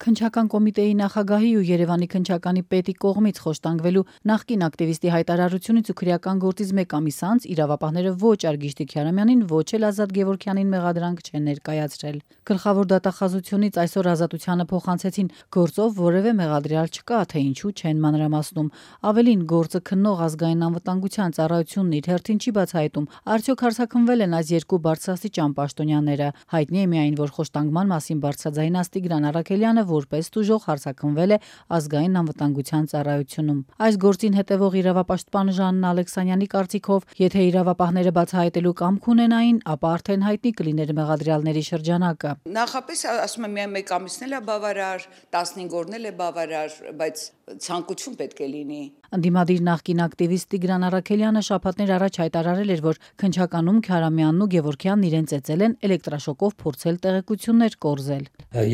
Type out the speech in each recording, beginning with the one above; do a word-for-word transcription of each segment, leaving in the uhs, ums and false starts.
Քննչական կոմիտեի նախագահի ու Երևանի քննչականի պետի կողմից խոշտանգվելու նախկին ակտիվիստի հայտարարությունից ու քրեական գործից մեկ ամիս անց իրավապահները ոչ Արգիշտի Քյարամյանին, ոչ էլ Ազատ Գևորգյանին մեղադրանք չեն ներկայացրել։ Գլխավոր դատախազությունից այսօր Ազատությանը փոխանցեցին գործով որևէ մեղադրյալ չկա, թե ինչու չեն մանրամասնում։ Ավելին, գործը քննող ազգային անվտանգության ծառայությունն իր հերթին չի բացահայտում, արդյոք հարձակվվել են այս երկու բարձրաստիճան պաշտոնյաները։ Հայտնի է միայն, որ խոշտանգման մասին բարձրաձայնած Տիգրան Առաքելյանը որպես տուժող հարձակվվել է ազգային անվտանգության ծառայությունում։ Այս գործին հետևող իրավապաշտպան Ժաննա Ալեքսանյանի կարծիքով, եթե իրավապահները բացահայտելու կամք ունենային, ապա արդեն հայտնի կլիներ մեղադրյալների շրջանակը։ Նախապես ասում եմ, միայն մեկ ամիսն էլ է բավարար, տասնհինգ օրն էլ է բավարար, բայց ցանկություն պետք է լինի։ Ընդդիմադիր նախկին ակտիվիստ Տիգրան Առաքելյանը շաբաթներ առաջ հայտարարել էր, որ քննչականում Քյարամյանն ու Գևորգյանն իրեն ծեծել են էլեկտրաշոկով փորձել տեղեկություններ կորզել։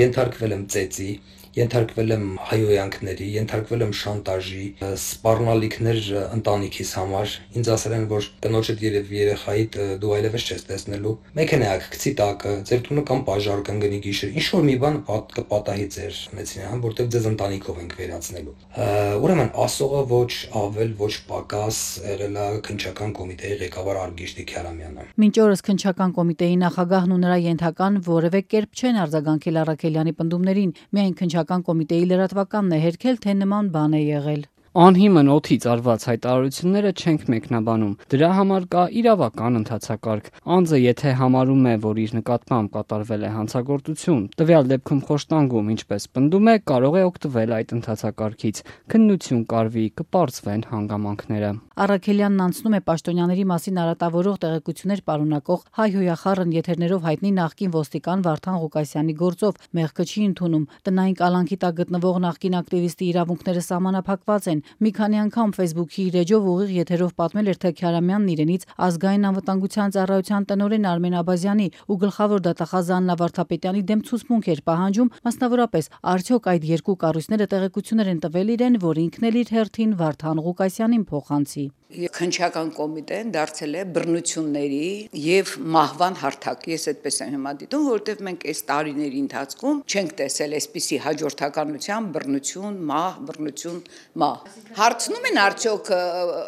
Ենթարկվել եմ ծեծի, ենթարկվել եմ հայհոյանքների, ենթարկվել եմ շանտաժի, սպառնալիքներ ընտանիքիս համար։ Ինձ ասել են, որ տնոջդ երև երեխայիդ դու այլևս չես տեսնելու։ Մեքենայակ գցի տակը, ձեր տունը կամ բաժար կընկնի գիշեր, ինչ որ մի բան կպատահի ձեր մեծին, հա, որտեղ ձեզ ընտանիքով ենք վերացնելու։ Ուրեմն ասողը ոչ ավել, ոչ պակաս եղել է քննչական կոմիտեի ղեկավար Արգիշտի Քյարամյանը։ Մինչ օրս քննչական կոմիտեի նախագահն ու նրա ենթական որևէ կերպ չեն արձագանքել Առաքելյանի պնդումներին, միայն քննչական կոմիտեի լրատվականն է հերքել, թե նման բան է եղել։ Անհիմն օդից արված հայտարարությունները չենք մեկնաբանում։ Դրա համար կա իրավական ընթացակարգ։ Անձը եթե համարում է, որ իր նկատմամբ կատարվել է հանցագործություն, տվյալ դեպքում խոշտանգում, ինչպես պնդում է, կարող է օգտվել այդ ընթացակարգից։ Քննություն կարվի, կպարզվեն հանգամանքները։ Առաքելյանն անցնում է պաշտոնյաների մասին արատավորող տեղեկություններ պարունակող հայհոյախառն եթերներով հայտնի նախկին ոստիկան Վարդան Ղուկասյանի գործով, մեղքը չի ընդունում։ Տնային կալանքի տակ գտնվող նախկին ակտիվիստի իրավունքները սահմանափակված են։ Մի քանի անգամ Facebook-ի իր էջով ուղիղ եթերով պատմել էր, թե Քյարամյանն իրենից ազգային անվտանգության ծառայության տնօրեն Արմեն Աբազյանի ու գլխավոր դատախազ Աննա Վարդապետյանի դեմ ցուցմունք էր պահանջում, մասնավորապես, արդյոք այդ երկու կառույցները տեղեկություններ են տվել իրեն, որ ինքն էլ իր հերթին Վարդան Ղուկասյանին փոխանցի։ Քննչական կոմիտեն դարձել է բռնությունների եւ մահվան հարթակ։ Ես այդպես եմ հիմա դիտում, որովհետեւ մենք այս տարիների ընթացքում չենք տեսել այսպիսի հաջորդականության բռնություն, մահ, բռնություն, մահ։ Հարցնում են արդյոք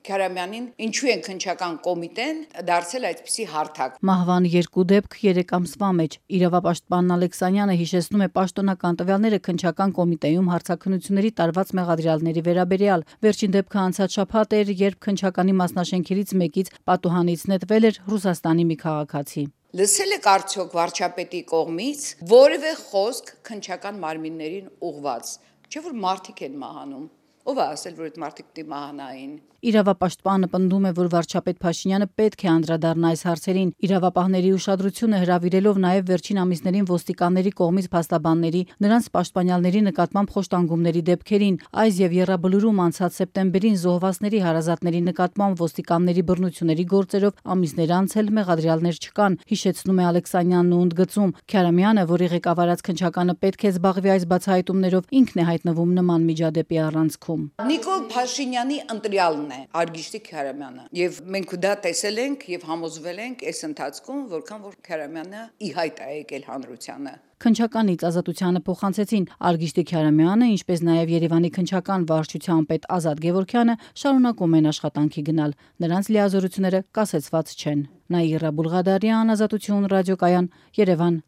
Քյարամյանին, ինչու են քննչական կոմիտեն դարձել այդպիսի հարթակ։ Մահվան երկու դեպք երեք ամսվա մեջ։ Իրավապաշտպան Ալեքսանյանը հիշեցնում է պաշտոնական տվյալները քննչական կոմիտեում հարցաքննությունների տարված մեղադրյալների վերաբերյալ։ Վերջին դեպքը անցած շաբաթ էր, երբ քննչականի մասնաշենքերից մեկից պատուհանից նետվել էր Ռուսաստանի մի քաղաքացի։ Լսել եք արդյոք վարչապետի կողմից որևէ խոսք քննչական մարմիններին ուղված, չէ՞ որ մարդիկ են մահանում։ Ով է ասել, որ այդ մարդիկ պիտի մահանային։ Իրավապաշտպանը պնդում է, որ վարչապետ Փաշինյանը պետք է անդրադառնա այս հարցերին։ Իրավապահների ուշադրությունը հրավիրելով նաև վերջին ամիսներին ոստիկանների կողմից փաստաբանների, նրանց պաշտպանյալների նկատմամբ խոշտանգումների դեպքերին, այս եւ Եռաբլուրում անցած սեպտեմբերին զոհվածների հարազատների նկատմամբ ոստիկանների բռնությունների գործերով ամիսներ անց էլ մեղադրյալներ չկան, հիշեցնում է Ալեքսանյանն ու ընդգծում. Քյարամյանը, որի ղեկավարած քննչականը պետք է զբաղվի այս բացահայտումներով, ինքն է հայտնվում նման միջադեպի առանցքում։ Նիկոլ Փաշինյանի ընտրյալն է Արգիշտի Քյարամյանը, եւ մենք դա տեսել ենք եւ համոզվել ենք այս ընթացքում, որքան որ Քյարամյանը ի հայտ է եկել հանրությանը։ Քննչականից Ազատությանը փոխանցեցին Արգիշտի Քյարամյանը, ինչպես նաև Երևանի քննչական վարչության պետ Ազատ Գևորգյանը շարունակում են աշխատանքի գնալ։ Նրանց լիազորությունները կասեցված չեն։ Նաիրա Բուլղադարյան, Ազատություն ռադիոկայան, Երևան։